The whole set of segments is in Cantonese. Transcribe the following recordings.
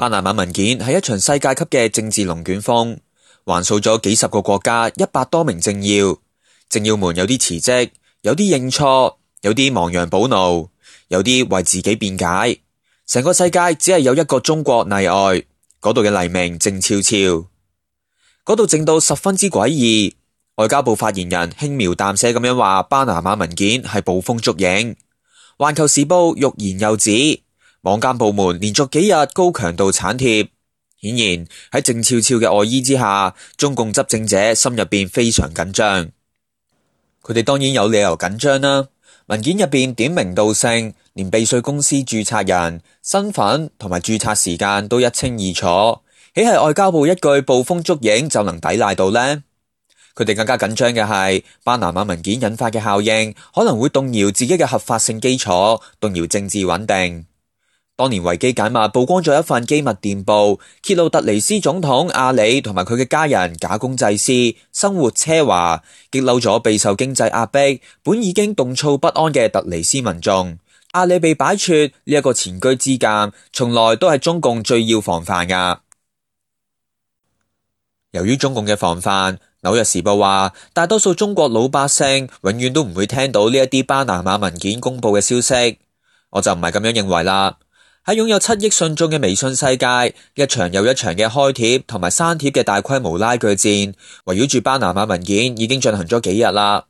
巴拿馬文件係一場世界級嘅政治龍捲風，橫掃咗幾十個國家100多名政要。政要們有啲辭職，有啲認錯，有啲亡羊補牢，有啲為自己辯解。成個世界只係有一個中國例外，嗰度嘅黎明靜悄悄，嗰度靜到十分之詭異。外交部發言人輕描淡寫咁樣話，巴拿馬文件係捕風捉影。環球時報欲言又止，網監部門連續幾日高強度鏟貼。顯然喺靜悄悄嘅外衣之下，中共執政者心入邊非常緊張。佢哋當然有理由緊張啦。文件入邊點名道姓，連避稅公司註冊人身份同埋註冊時間都一清二楚，豈係外交部一句捕風捉影就能抵賴到呢？佢哋更加緊張嘅係巴拿馬文件引發嘅效應，可能會動搖自己嘅合法性基礎，動搖政治穩定。當年維基解密曝光咗一份機密電報，揭露突尼斯總統阿里同埋佢嘅家人假公濟私，生活奢華，激嬲咗備受經濟壓迫、本已經動躁不安嘅突尼斯民眾。阿里被擺脫呢一個前車之鑑，從來都係中共最要防範噶。由於中共嘅防範，紐約時報話，大多數中國老百姓永遠都唔會聽到呢一啲巴拿馬文件公布嘅消息。我就唔係咁樣認為啦。喺擁有7億信眾嘅微信世界，一場又一場嘅開帖同埋刪帖嘅大規模拉鋸戰，圍繞住巴拿馬文件已經進行咗幾日啦。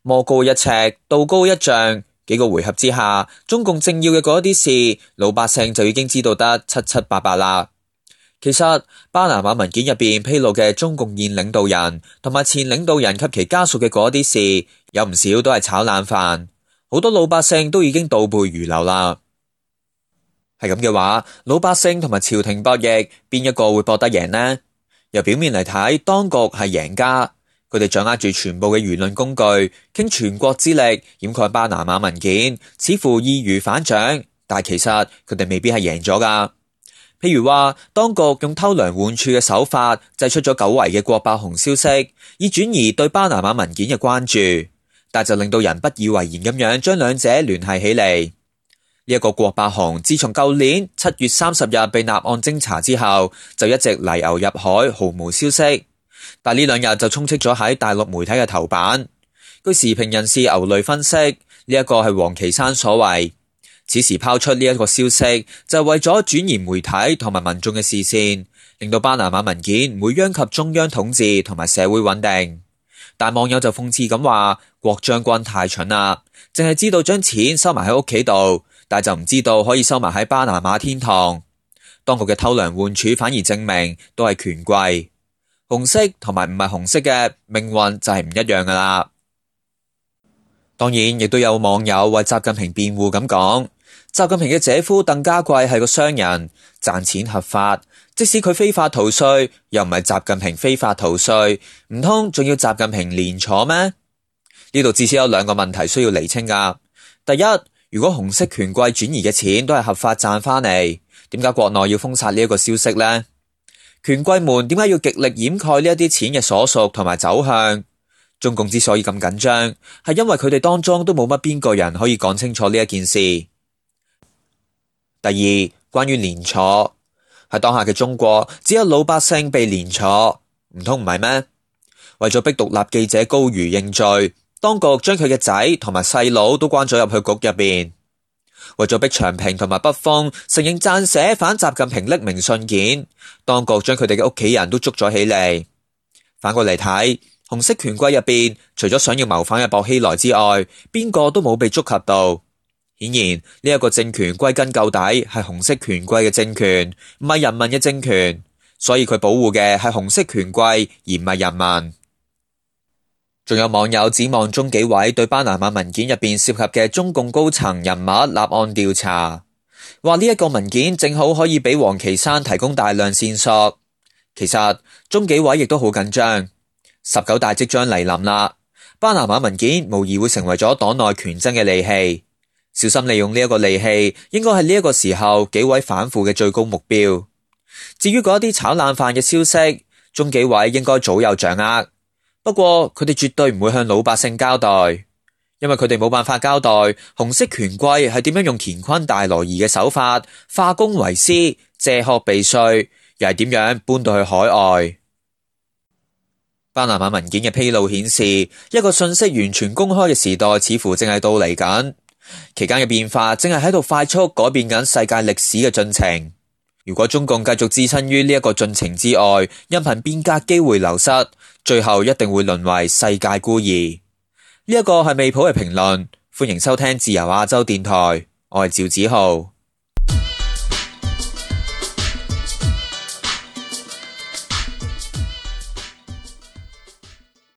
魔高一尺，道高一丈，幾個回合之下，中共政要嘅嗰一啲事，老百姓就已經知道得七七八八啦。其實巴拿馬文件入邊披露嘅中共現領導人同埋前領導人及其家屬嘅嗰啲事，有唔少都係炒冷飯，好多老百姓都已經倒背如流啦。係咁嘅話，老百姓同埋朝廷博弈，邊一個會博得贏呢？由表面嚟睇，當局係贏家，佢哋掌握住全部嘅輿論工具，傾全國之力掩蓋巴拿馬文件，似乎易如反掌，但其實佢哋未必係贏咗噶。譬如話，當局用偷梁換柱嘅手法，製出咗久違嘅郭伯雄消息，以轉移對巴拿馬文件嘅關注，但就令到人不以為然咁樣將兩者聯繫起嚟。呢一個郭伯雄自從舊年7月30日被立案偵查之後，就一直泥牛入海，毫無消息。但呢兩日就充斥咗喺大陸媒體嘅頭版。據時評人士牛雷分析，呢一個係王岐山所為。此時拋出呢一個消息，就係為咗轉移媒體同埋民眾嘅視線，令到巴拿馬文件唔會殃及中央統治同埋社會穩定。但網友就諷刺咁話，郭將軍太蠢啦，淨係知道將錢收埋喺屋企度，但就唔知道可以收埋喺巴拿馬天堂。當局嘅偷梁換柱反而證明都係權貴，紅色同埋唔係紅色嘅命運就係唔一樣噶啦。當然亦都有網友為習近平辯護咁講，習近平嘅姐夫鄧家貴係個商人，賺錢合法，即使佢非法逃稅，又唔係習近平非法逃稅，唔通仲要習近平連坐咩？呢度至少有兩個問題需要釐清噶。第一，如果紅色權貴轉移嘅錢都係合法賺翻嚟，點解國內要封殺呢一個消息呢？權貴們點解要極力掩蓋呢一啲錢嘅所屬同埋走向？中共之所以咁緊張，係因為佢哋當中都冇乜邊個人可以講清楚呢一件事。第二，關於連坐，喺當下嘅中國，只有老百姓被連坐，唔通唔係咩？為咗逼獨立記者高瑜認罪，當局將佢嘅仔同埋細佬都關咗入去局入邊。為咗逼長平同埋北風承認撰寫反習近平匿名信件，當局將佢哋嘅屋企人都捉咗起嚟。反過嚟睇，紅色權貴入邊，除咗想要謀反嘅薄熙來之外，邊個都冇被觸及到。顯然呢一個政權歸根究底係紅色權貴嘅政權，唔係人民嘅政權，所以佢保護嘅係紅色權貴而唔係人民。仲有網友指望中紀委對巴拿馬文件入邊涉及嘅中共高層人物立案調查，話呢一個文件正好可以俾王岐山提供大量線索。其實中紀委亦都好緊張，19大即將嚟臨啦，巴拿馬文件無疑會成為咗黨內權爭嘅利器，小心利用呢一個利器，應該係呢一個時候紀委反腐嘅最高目標。至於嗰啲炒冷飯嘅消息，中紀委應該早有掌握。不過佢哋絕對唔會向老百姓交代。因為佢哋冇辦法交代紅色權貴係點樣用乾坤大挪移嘅手法化公為私、借殼避稅，又係點樣搬到去海外。巴拿馬文件嘅披露顯示，一個信息完全公開嘅時代似乎正係到嚟緊，期間嘅變化正係喺度快速改變緊世界歷史嘅進程。如果中共繼續置身於呢一個進程之外，任憑變革機會流失，最後一定會淪為世界孤兒。呢一個係未普嘅評論，歡迎收聽自由亞洲電台，我係趙子浩。